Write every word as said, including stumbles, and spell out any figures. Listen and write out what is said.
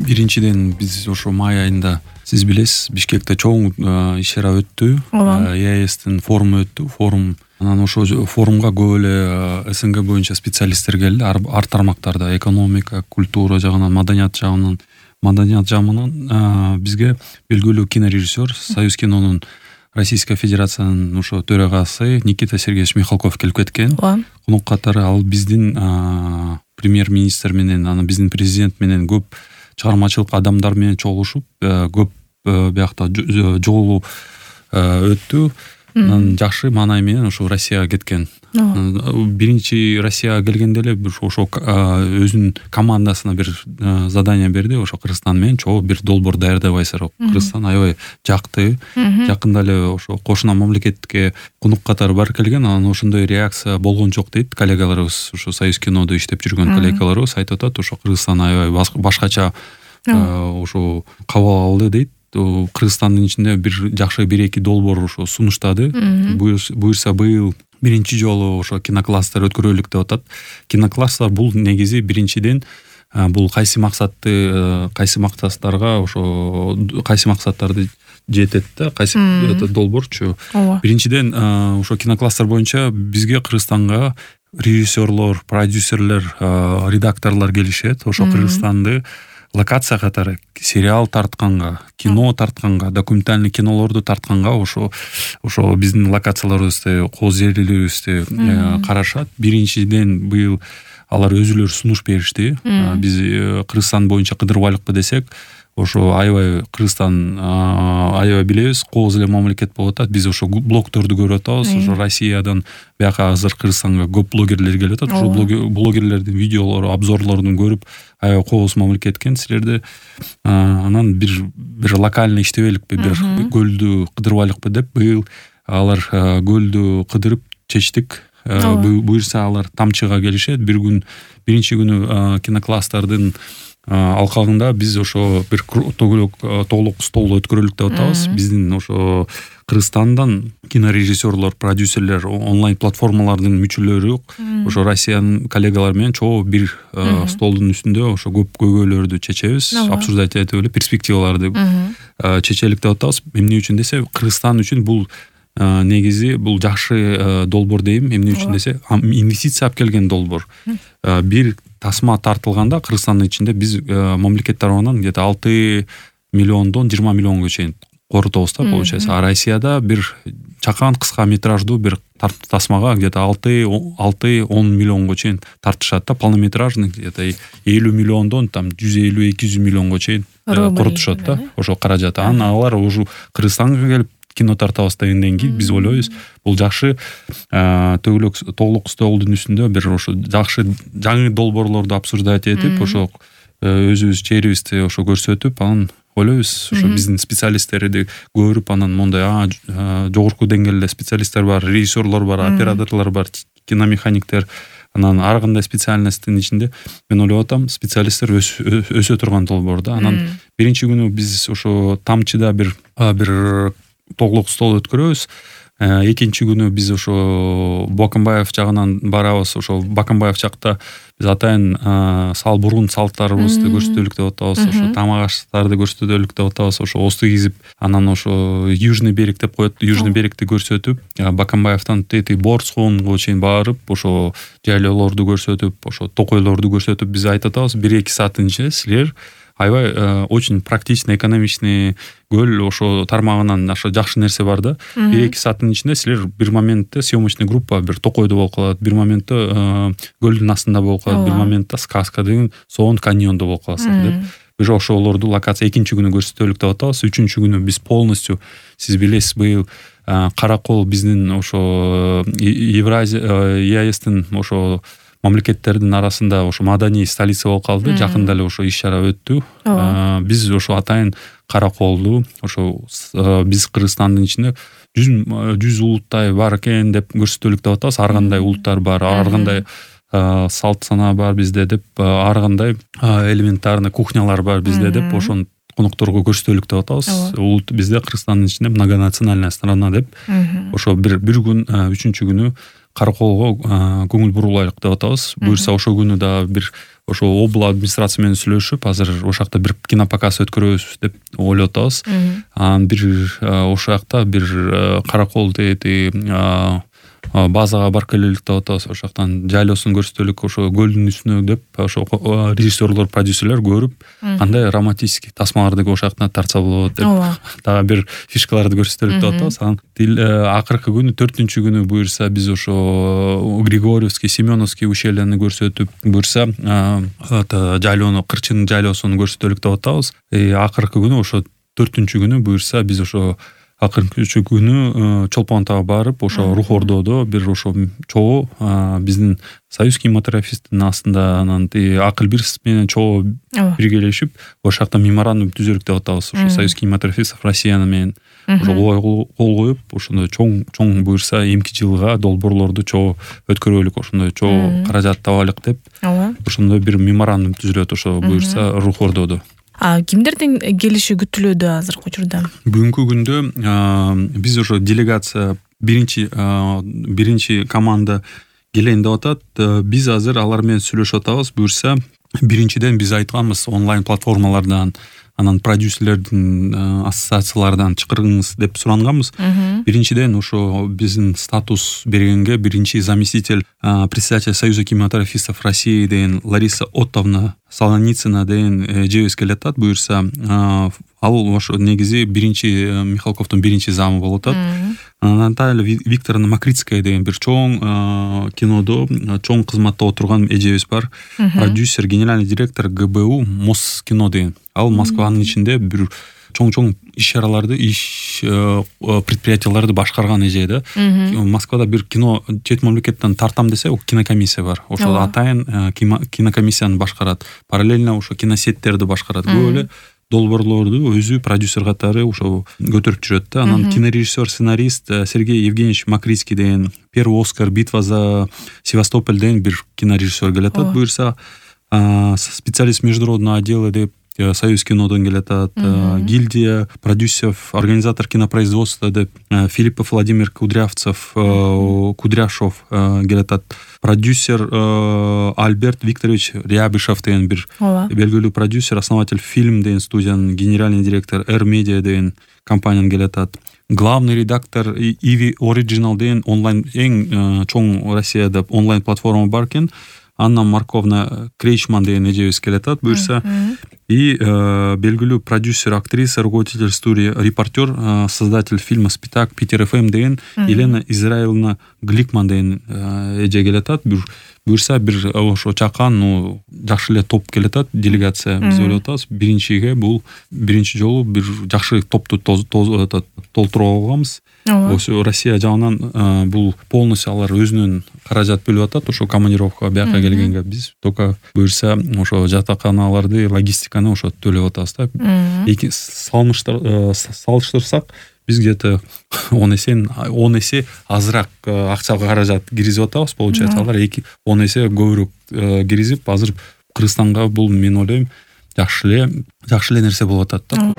Биринчиден биз ошо май айында сиз билесиз Бишкекте чоң иш чара өттү. ЕАЭСтин форуму өттү. Форум анан ошо форумга көп эле СНГ боюнча специалисттер келди. Ар тармактарда экономика, культура жагынан, маданият жагынан, маданият жагынан бизге белгилүү кинорежиссер, Союз кинонун Российская Федерациянын ошо төрагасы Никита Сергеевич Михалков келип кеткен. Конок катары ал биздин премьер-министр менен, анан биздин президент менен көп чыгармачылык адамдар менен чогулушуп, көп биякта жолу өттү. Анан жакшы маанай менен ошо Россияга кеткен. Биринчи Россияга келгенде эле ошо өзүнүн командасына бир задание берди. Ошо Кыргызстан менен чогуу бир долбоор даярдабайсыздар. Кыргызстан аябай жакты. Жакында эле ошо кошуна мамлекетке конок катары барып келген. Анан ошондой реакция болгон жок дейт коллегаларыбыз. Ошо Союз кинодо иштеп жүргөн коллегаларыбыз айтып атат. Ошо Кыргызстан аябай башкача ошо кабыл алды дейт. Кыргызстандын ичинде бир жакшы бир-эки долбоор ошо сунуштады. Буюрса быйыл биринчи жолу ошо кинокласстер өткөрөлүк деп атат. Кинокласстар бул негизи биринчиден бул кайсы максатты, кайсы максаттарга ошо кайсы максаттарды жетет да, кайсы долбоорчу. Биринчиден ошо кинокласстер боюнча бизге Кыргызстанга режиссерлор, продюсерлер, редакторлор келишет. Ошо Кыргызстанды локация катары сериал тартканга, кино тартканга, документальный кинолорду тартканга ошо ошо биздин локацияларыбызды, кол жерлерибизди карашат. Биринчиден быйыл алар өзүлөрү сунуш беришти. Биз Кыргызстан боюнча кыдырбайлыкпы десек, ошо аябай Кыргызстан аябай билебиз, кооз эле мамлекет болуп атат. Биз ошо блогдорду көрүп атабыз. Ошо Россиядан бияка азыр Кыргызстанга көп блогерлер келип атат. Ошо блогерлердин видеолору, обзорлорун көрүп аябай кооз мамлекет экен. Силерде анан бир бир локальный иштебеликпи, бир көлдү кыдырбайлыкпы деп быйыл алар көлдү кыдырып чечтик. Буюрса алар тамчыга келишет. Бир күн биринчи күнү кинокласстардын алкагында биз ошо бир толук стол өткөрөлүк деп атабыз. Биздин ошо Кыргызстандан кинорежиссерлор, продюсерлер, онлайн платформалардын мүчөлөрү ошо Россиянын коллегалары менен чогуу бир столдун үстүндө ошо көп көйгөйлөрдү чечебиз, обсуждать этип эле перспективаларды чечелик деп атабыз. Эмне үчүн десе, Кыргызстан үчүн бул негизи бул жакшы долбоор дейм. Эмне үчүн десе, инвестиция алып келген долбоор. Бир тасма тартылганда Кыргызстандын ичинде биз мамлекет тарабынан где-то алты миллиондон жыйырма миллионго чейин корутабыз да, получается. А Россияда бир чакан кыска метраждуу бир тасмага где-то алты он миллионго чейин тартышат да, полнометражный где-то элүү миллиондон там жүз элүү эки жүз миллионго чейин корутушат да, ошо каражат. Анан алар уже Кыргызстанга келип кино тартабыз дегенден кийин биз ойлойбуз, бул жакшы төгүлөк толук столдун үстүндө бир ошо жакшы жаңы долбоорлорду обсуждать этип, ошо өзүбүз жерибизди ошо көрсөтүп, анан ойлойбуз ошо биздин специалисттерди көрүп, анан мондай жогорку деңгээлде специалисттер бар, режиссерлор бар, операторлор бар, киномеханиктер, анан ар кандай специальностьтин ичинде мен ойлоп атам, специалисттер өсө турган долбоор да. Анан биринчи күнү биз ошо тамчыда бир бир толук стол өткөрөбүз. Экинчи күнү биз ошо Баканбаев жагынан барабыз. Ошо Баканбаев жакта биз атайын сал бурун салттарыбызды көрсөтөлүк деп атабыз. Ошо тамак аштарды көрсөтөлүк деп атабыз. Ошо осту кизип, анан ошо Южный берег деп коет. Южный берегти көрсөтүп, Баканбаевтан тети Борсконго чейин барып, ошо жайлоолорду көрсөтүп, ошо токойлорду көрсөтүп, биз айтып атабыз, бир-эки сааттын ичинде силер аябай очень практичный, экономичный көл ошо тармагынан ошо жакшы нерсе бар да. бир-эки сааттын ичинде силер бир моментте съемочный группа бир токойдо болуп калат, бир моментте көлдүн астында болуп калат, бир моментте сказка деген Соон каньондо болуп каласың деп. Биз ошолорду локация экинчи күнү көрсөтөлүк деп атабыз. Үчүнчү күнү биз полностью, сиз билесиз, быйыл Каракол биздин ошо Евразия ЕАЭСтин ошо мамлекеттердин арасында ошо маданий столица болуп калды. Жакында эле ошо иш чара өттү. Биз ошо атайын Караколду ошо биз Кыргызстандын ичинде жүз улуттай бар экен деп көрсөтөлүк деп атабыз. Ар кандай улуттар бар, ар кандай салт сана бар бизде деп, ар кандай элементарный кухнялар бар бизде деп, ошону конокторго көрсөтөлүк деп атабыз. Улут бизде Кыргызстандын ичинде многонациональная страна деп. Ошо бир бир күн, үчүнчү күнү Караколго көңүл бурулайлык деп атабыз. Буюрса ошол күнү дагы бир ошо обла администрация менен сүйлөшүп, азыр ошол жакта бир кинопоказ өткөрөбүз деп ойлоп атабыз. Анан бир ошол жакта бир Каракол дети базага барып келелик деп атабыз. Ошол жактан жайлоосун көрсөтөлүк, ошо көлдүн үстүнө деп ошо режиссерлор, продюсерлер көрүп, кандай романтический тасмаларды ошол жактан тартса болот деп дагы бир фишкаларды көрсөтөлүк деп атабыз. Анан акыркы күнү, төртүнчү күнү буюрса биз ошо Григорьевский, Семеновский ущельяны көрсөтүп, буюрса жайлоону, Кырчын жайлоосун көрсөтөлүк деп атабыз. Акыркы күнү ошо төртүнчү күнү буюрса биз ошо акыркы күнү Чолпон Атага барып, ошо Рух Ордодо бир ошо чогуу биздин Союз кинематографисттин астында анан Акыл бир менен чогуу биргелешип, ошол жакта меморандум түзөлүк деп атабыз. Ошо Союз кинематографистов Россия менен ошо кол коюп, ошондой чоң чоң буюрса эмки жылга долбоорлорду чогуу өткөрөлүк, ошондой чогуу каражат табалык деп ошондой бир меморандум түзүлөт ошо буюрса Рух Ордодо. А кимдердин келиши күтүлүүдө азыркы учурда? Бүгүнкү күндө биз ошо делегация биринчи биринчи команда келейин деп атат. Биз азыр алар менен сүйлөшүп атабыз. Буюрса биринчиден биз айтканбыз онлайн платформалардан, анан продюсерлердин ассоциациялардан чакырыңыз деп суранганбыз. Биринчиден ошо биздин статус бергенге биринчи заместитель председатель Союза кинематографистов России деген Лариса Оттовна Солоницына деген эжебиз келатат. Буюрса ал ошо негизи биринчи Михалковдун биринчи замы болуп атат. Наталья Викторовна Макритская деген бир чоң кинодо чоң кызматта отурган эжебиз бар. Продюсер, генеральный директор ГБУ Москино деген. Ал Москванын ичинде бир чоң-чоң иш-чараларды, иш предприятияларды башкарган эже да. Москвада бир кино чет мамлекеттен тартам десе, кинокомиссия бар. Ошол атайын кинокомиссияны башкарат. Параллельно ошо киносеттерди башкарат. Көп эле долбоорлорду өзү продюсер катары ошо көтөрүп жүрөт да. Анан кинорежиссер, сценарист Сергей Евгеньевич Макритский деген первый Оскар, битва за Севастополь деген бир кинорежиссер келатат. Буюрса специалист международного отдела деп Союз кинодон келатат. Гильдия продюсеров, организатор кинопроизводства деп Филиппов Владимир Кудрявцев, Кудряшов келатат. Продюсер Альберт Викторович Рябышев деген бир белгилүү продюсер, основатель Фильм деген студиянын генеральный директор, Эр Медиа деген компаниянын келатат. Главный редактор Иви Original деген онлайн эң чоң Россияда онлайн платформа бар экен. Анна Марковна Крейчман деген эжебиз келатат. Буюрса и белгилүү продюсер, актриса, руководитель студии, репортер, создатель фильма «Спитак», Питер эф эм деген Елена Израиловна Гликман деген эже келатат. Буюрса бир ошо чакан, ну, жакшы эле топ келатат, делегация. Биз ойлоп атабыз, биринчиге бул биринчи жолу бир жакшы топту толтуруп алганбыз. Ошо Россия жагынан бул полностью алар өзүнүн каражат бөлүп атат. Ошо командировка бияка келгенге биз только буюрса ошо жатаканаларды, логистиканы ошо төлөп атабыз да. Эки салыштырсак биз где-то он эсе он эсе азыраак акча каражат киргизип атабыз. Получается, алар эки он эсе көбүрөөк киргизип, азыр Кыргызстанга бул мен ойлойм жакшы эле жакшы эле нерсе болуп атат да.